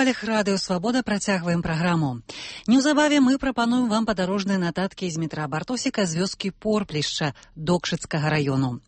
хвалях радыё «Свабода» працягваем праграму. Неўзабаве мы прапануем вам падарожныя нататкі з метра Бартосіка з вёскі Порплішча Докшыцкага раёну.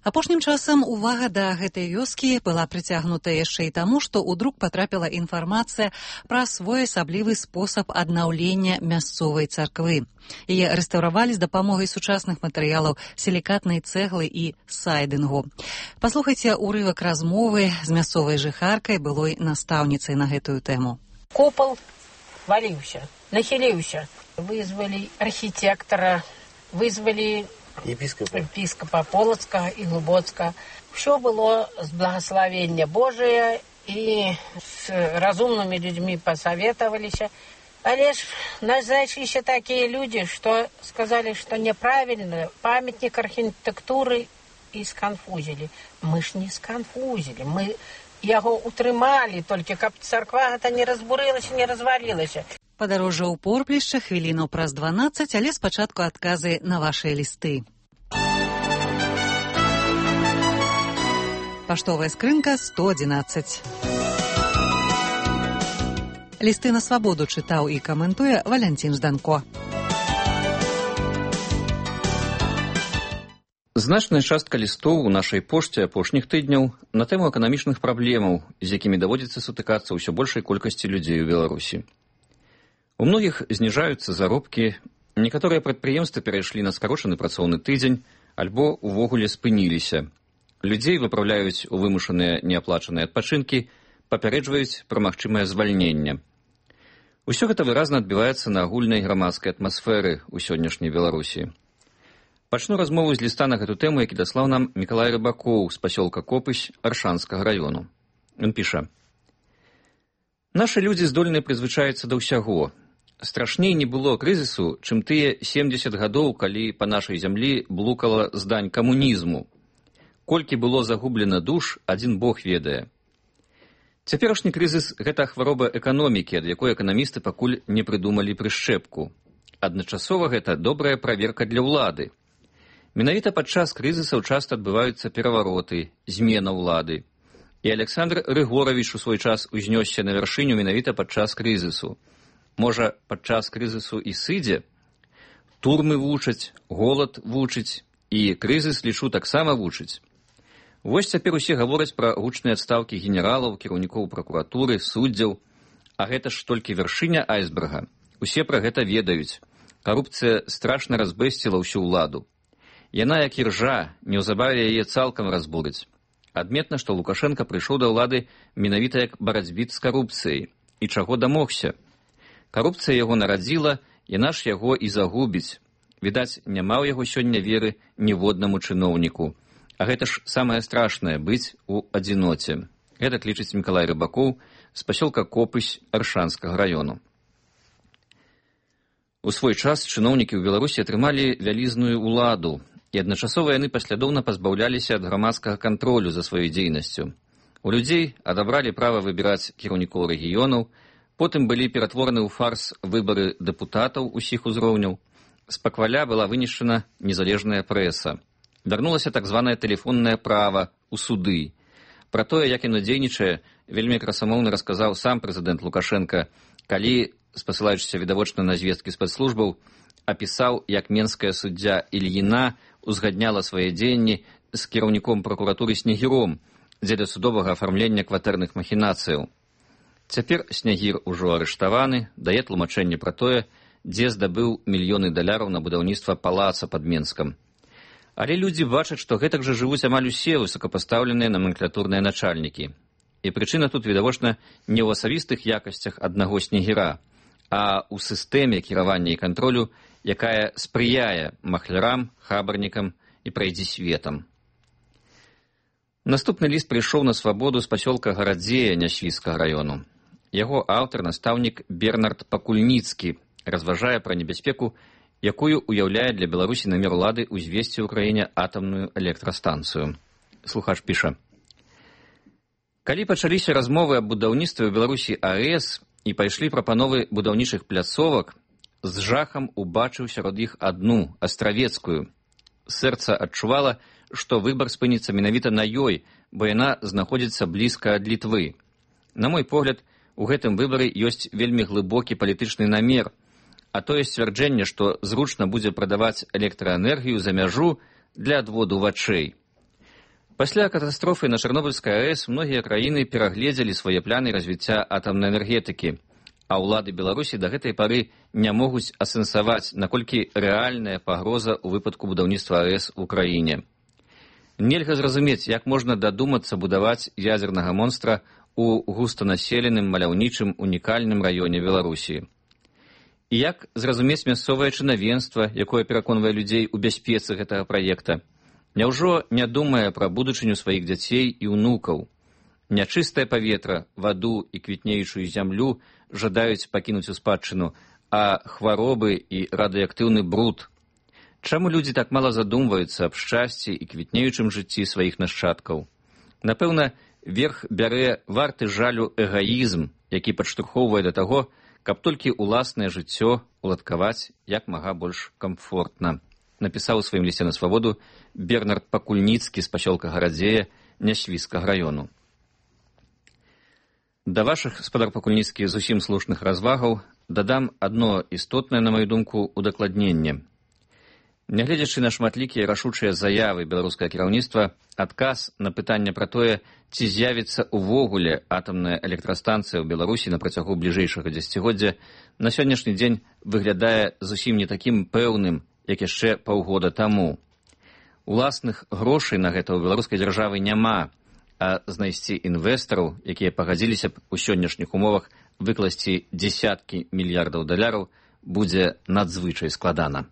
Апошнім часам увага да гэтай вёскі была прыцягнута яшчэ і таму, што ў друк потрапіла інфармацыя пра своеасаблівы спосаб аднаўлення мясцовай царквы. Яе рэстаўравалі з дапамогай сучасных матэрыялаў сілікатнай цэглы і сайдынгу. Паслухайце ўрывак размовы з мясцовай жыхаркай, былой настаўніцай на гэтую тэму. Купал валіўся, нахіліўся. Вызвалі архітэктара, вызвалі епіскопа Полацкага і Глубоцкага. Все было з благословення Божия, і з разумнымі людзьмі пасаветаваліся. Але ж нас знайшліся такія людзі, што сказалі, што няправільна, памятнік архітэктуры, і сканфузілі. Мы ж не сканфузілі, мы яго утрымалі, толькі каб царква гэта не разбурылася, не развалілася. Падарожжа ў Порплішча хвіліну праз 12, але спачатку адказы на вашыя лісты. Паштовая скрынка 111. Лісты на свабоду чытаў і каментуе Валянцін Жданко. Значная частка лістоў у нашай пошце апошніх тыдняў на тэму эканамічных праблемаў, з якімі даводзіцца сутыкацца ўсё большай колькасці людзей у Беларусі. У многіх зніжаюцца заробкі, некаторыя прадпрыемствы перайшлі на скарочаны працоўны тыдзень альбо увогуле спыніліся. Людзей выпраўляюць у вымушаныя неаплачаныя адпачынкі, папярэджваюць пра магчымае звальненне. Усё гэта выразна адбіваецца на агульнай грамадскай атмасферы ў сённяшняй Беларусі. Пачну размову з ліста на гэту тэму, які даслаў нам Мікалай Рыбакоў з пасёлка Копысь Аршанскага раёну. Ён піша: «Нашы людзі здольныя прызвычаіцца да ўсяго. Страшней не было крызісу, чым тыя 70 гадоў, калі па нашай зямлі блукала здань камунізму. Колькі было загублена душ, адзін Бог ведае. Цяперашні крызіс – гэта хвароба эканомікі, ад якой эканамісты пакуль не прыдумалі прышчэпку. Адначасова гэта добрая праверка для ўлады. Менавіта падчас крызісаў часта адбываюцца перавароты, змена ўлады. І Александр Рыгоравіч у свой час узнёсся на вяршыню менавіта падчас крызісу. Можа, падчас крызісу і сыдзе? Турмы вучаць, голад вучыць, і крызіс, лічу, таксама вучыць. Вось цяпер усе гавораць пра гучныя адстаўкі генералаў, кіраўнікоў пракуратуры, суддзяў. А гэта ж толькі вяршыня айсберга. Усе пра гэта ведаюць. Карупцыя страшна разбэсціла ўсю ўладу. Яна, як іржа, неўзабаве яе цалкам разбурыць. Адметна, што Лукашенка прыйшоў да ўлады менавіта як барацьбіт з карупцыяй. І чаго дамогся? Карупцыя яго нарадзіла, яна ж яго і загубіць. Відаць, няма ў яго сёння веры ніводнаму чыноўніку. А гэта ж самае страшнае – быць у адзіноце. Гэта лічыць Мікалай Рыбакоў з пасёлка Копысь Аршанскага раёну. У свой час чыноўнікі ў Беларусі атрымалі вялізную ўладу, і адначасова яны паслядоўна пазбаўляліся ад грамадскага кантролю за сваёй дзейнасцю. У людзей адабралі права выбіраць кіраўнікоў рэгіёнаў, потым былі ператвораны ў фарс выбары дэпутатаў усіх узроўняў, з пакваля была вынішчана незалежная прэса. Вярнулася так званае тэлефоннае права ў суды. Пра тое, як яно дзейнічае, вельмі красамоўна расказаў сам прэзідэнт Лукашенка, калі, спасылаючыся відавочна на звесткі спецслужбаў, апісаў, як менская суддзя Ільіна узгадняла свае дзеянні з кіраўніком пракуратуры Снегіром дзеля судовага афармлення кватэрных махінацыяў. Цяпер Снегір ужо арыштаваны, дае тлумачэнне пра тое, дзе здабыў мільёны даляраў на будаўніцтва палаца пад Менскам. Але людзі бачаць, што гэтак жа жывуць амаль усе высокапастаўленыя наменклатурныя начальнікі. І прычына тут, відавочна, не ў асабістых якасцях аднаго Снегіра, а ў сістэме кіравання і кантролю, якая спрыяе махлярам, хабарнікам і прайдзісветам. Наступны ліст прыйшоў на свабоду з пасёлка Гарадзея Нясвіцкага раёну. Яго аўтар, настаўнік Бернард Пакульніцкі, разважае пра небяспеку, якую уяўляе для Беларусі намер улады ўзвесці ў краіне атамную электрастанцыю. Слухач піша: «Калі пачаліся размовы аб будаўніцтве ў Беларусі АЭС і пайшлі прапановы будаўнічых пляцовак, з жахам убачыў сярод іх адну, астравецкую. Сэрца адчувала, што выбар спыніцца менавіта на ёй, бо яна знаходзіцца блізка ад Літвы. На мой погляд, у гэтым выбары ёсць вельмі глыбокі палітычны намер, а тое сцвярджэнне, што зручна будзе прадаваць электраэнергію за мяжу для адводу вачэй. Пасля катастрофы на Чарнобыльскай АЭС многія краіны перагледзелі свае планы развіцця атамнай энергетыкі, а ўлады Беларусі да гэтай пары не могуць асэнсаваць, наколькі рэальная пагроза ў выпадку будаўніцтва АЭС у краіне. Нельга зразумець, як можна дадумацца будаваць ядзернага монстра у густанаселеным, маляўнічым, унікальным раёне Беларусі. І як зразумець мясцовае чынавенства, якое пераконвае людзей у бяспецы гэтага праекта? Няўжо не думае пра будучыню сваіх дзяцей і ўнукаў? Нячыстае паветра, ваду і квітнеючую зямлю жадаюць пакінуць у спадчыну, а хваробы і радыеактыўны бруд. Чаму людзі так мала задумваюцца аб шчасці і квітнеючым жыцці сваіх нашчадкаў? Напэўна, верх бярэ варты жалю эгаізм, які падштурхоўвае да таго, каб толькі ўласнае жыццё уладкаваць як мага больш камфортна, напісаў у сваім лісце на свабоду Бернард Пакульніцкі з пасёлка Гарадзея Нясвіцкага раёну. Да вашых, спадар Пакульніцкі, зусім слушных развагаў дадам адно істотнае, на маю думку, удакладненне. Нягледзячы на шматлікія рашучыя заявы беларускае кіраўніцтва, адказ на пытанне пра тое, ці з'явіцца ўвогуле атамная электрастанцыя ў Беларусі на працягу бліжэйшага дзесяцігоддзя, на сённяшні дзень выглядае зусім не такім пэўным, як яшчэ паўгода таму. Уласных грошай на гэта ў беларускай дзяржавы няма, а знайсці інвестараў, якія пагадзіліся б у сённяшніх умовах выкласці дзесяткі мільярдаў даляраў, будзе надзвычай складана.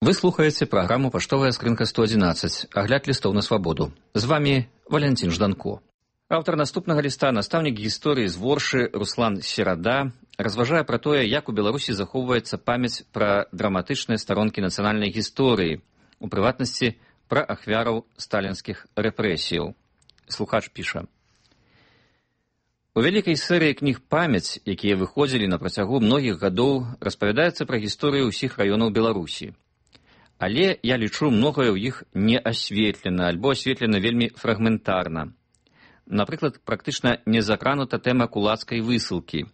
Вы слухаеце праграму «Паштовая скрынка 111», агляд лістоў на свабоду. З вамі Валянцін Жданко. Аўтар наступнага ліста, настаўнік гісторыі з Воршы Руслан Серада, разважае пра тое, як у Беларусі захоўваецца памяць пра драматычныя старонкі нацыянальнай гісторыі, у прыватнасці пра ахвяраў сталінскіх рэпрэсіяў. Слухач піша. У вялікай серыі кніг «Памяць», якія выходзілі на працягу многіх гадоў, распавядаецца пра гісторыю ўсіх раёнаў Беларусі. Але я лічу, многае ў іх не асветлена, альбо асветлена вельмі фрагментарна. Напрыклад, практычна не закранута тэма кулацкай высылкі.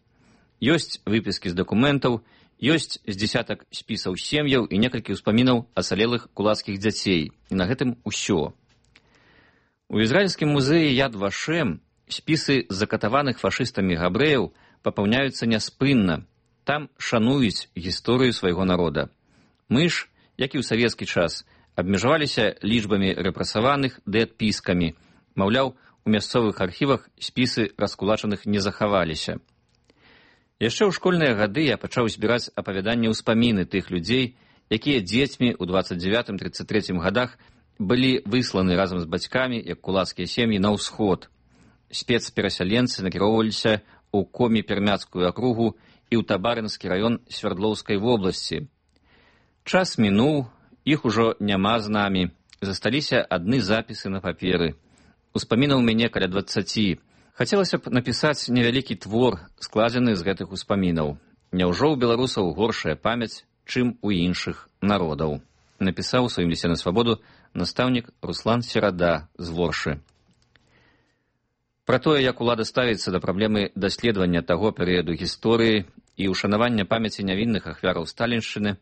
Ёсць выпіскі з дакументаў, ёсць з дзесятак спісаў сем'яў і некалькі ўспамінаў асалелых кулацкіх дзяцей. І на гэтым усё. У ізраільскім музеі Яд Вашем спісы закатаваных фашыстамі габрэяў папаўняюцца няспынна. Там шануюць гісторыю свайго народа. Мы ж, як і ў савецкі час, абмежаваліся лічбамі рэпрэсаваных ды адпіскамі. Маўляў, у мясцовых архівах спісы раскулачаных не захаваліся. Яшчэ ў школьныя гады я пачаў збіраць апавяданні ўспаміны тых людзей, якія дзецьмі ў 29-33 гадах былі высланы разам з бацькамі, як кулацкія сем'і, на ўсход. Спецперасяленцы накіроўваліся ў Комі-Пермяцкую акругу і ў Табарынскі раён Свярдлоўскай вобласці. Час мінуў, іх ужо няма з намі, засталіся адны запісы на паперы. Успамінаў мяне каля 20. Хацелася б напісаць невялікі твор, складзены з гэтых успамінаў. Няўжо ў беларусаў горшая памяць, чым у іншых народаў? Напісаў у сваім лісце на свабоду настаўнік Руслан Серада з Воршы. Пра тое, як улада ставіцца да праблемы даследавання таго перыяду гісторыі і ушанавання памяці нявінных ахвяраў сталіншчыны,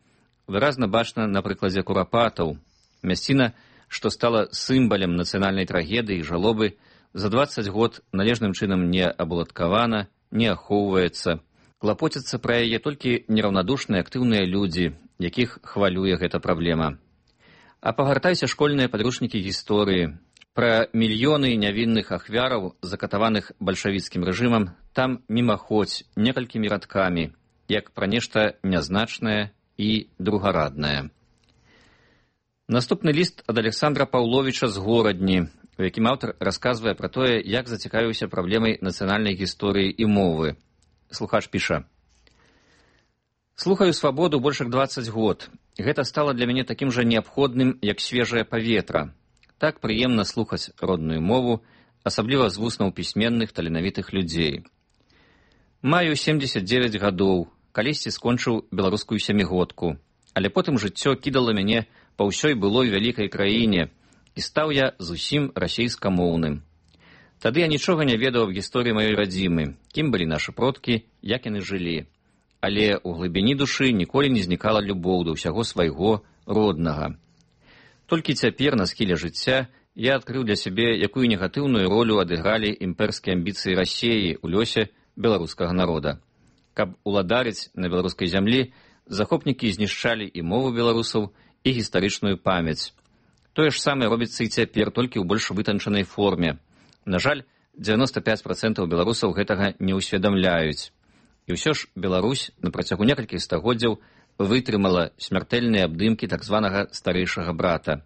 выразна бачна на прыкладзе Курапатаў. Мясціна, што стала сімвалем нацыянальнай трагедыі і жалобы, за 20 год належным чынам не абуладкавана, не ахоўваецца. Клапоцяцца пра яе толькі нераўнадушныя актыўныя людзі, якіх хвалюе гэта праблема. А пагартайся школьныя падручнікі гісторыі. Пра мільёны нявінных ахвяраў, закатаваных бальшавіцкім рэжымам, там мімаходзь некалькімі радкамі, як пра нешта нязначнае і другараднае. Наступны ліст ад Александра Паўловіча з Горадні, у якім аўтар расказвае пра тое, як зацікавіўся праблемай нацыянальнай гісторыі і мовы. Слухач піша. Слухаю свабоду больш як 20 год. Гэта стала для мяне такім жа неабходным, як свежае паветра. Так прыемна слухаць родную мову, асабліва з вуснаў пісьменных таленавітых людзей. Маю 79 гадоў, калісьці скончыў беларускую сямігодку, але потым жыццё кідала мяне па ўсёй былой вялікай краіне, і стаў я зусім расейскамоўным. Тады я нічога не ведаў аб гісторыі маёй радзімы, кім былі нашы продкі, як яны жылі. Але ў глыбіні душы ніколі не знікала любоў да ўсяго свайго роднага. Толькі цяпер, на схіле жыцця, я адкрыў для сябе, якую негатыўную ролю адыгралі імперскія амбіцыі Расіі ў лёсе беларускага народа. Каб уладарыць на беларускай зямлі, захопнікі знішчалі і мову беларусаў, і гістарычную памяць. Тое ж самае робіцца і цяпер, толькі ў больш вытанчанай форме. На жаль, 95% беларусаў гэтага не ўсведамляюць. І ўсё ж Беларусь на працягу некалькіх стагоддзяў вытрымала смяртэльныя абдымкі так званага старэйшага брата.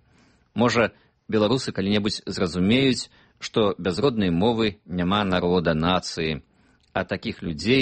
Можа, беларусы калі-небудзь зразумеюць, што без роднай мовы няма народа, нацыі, а такіх людзей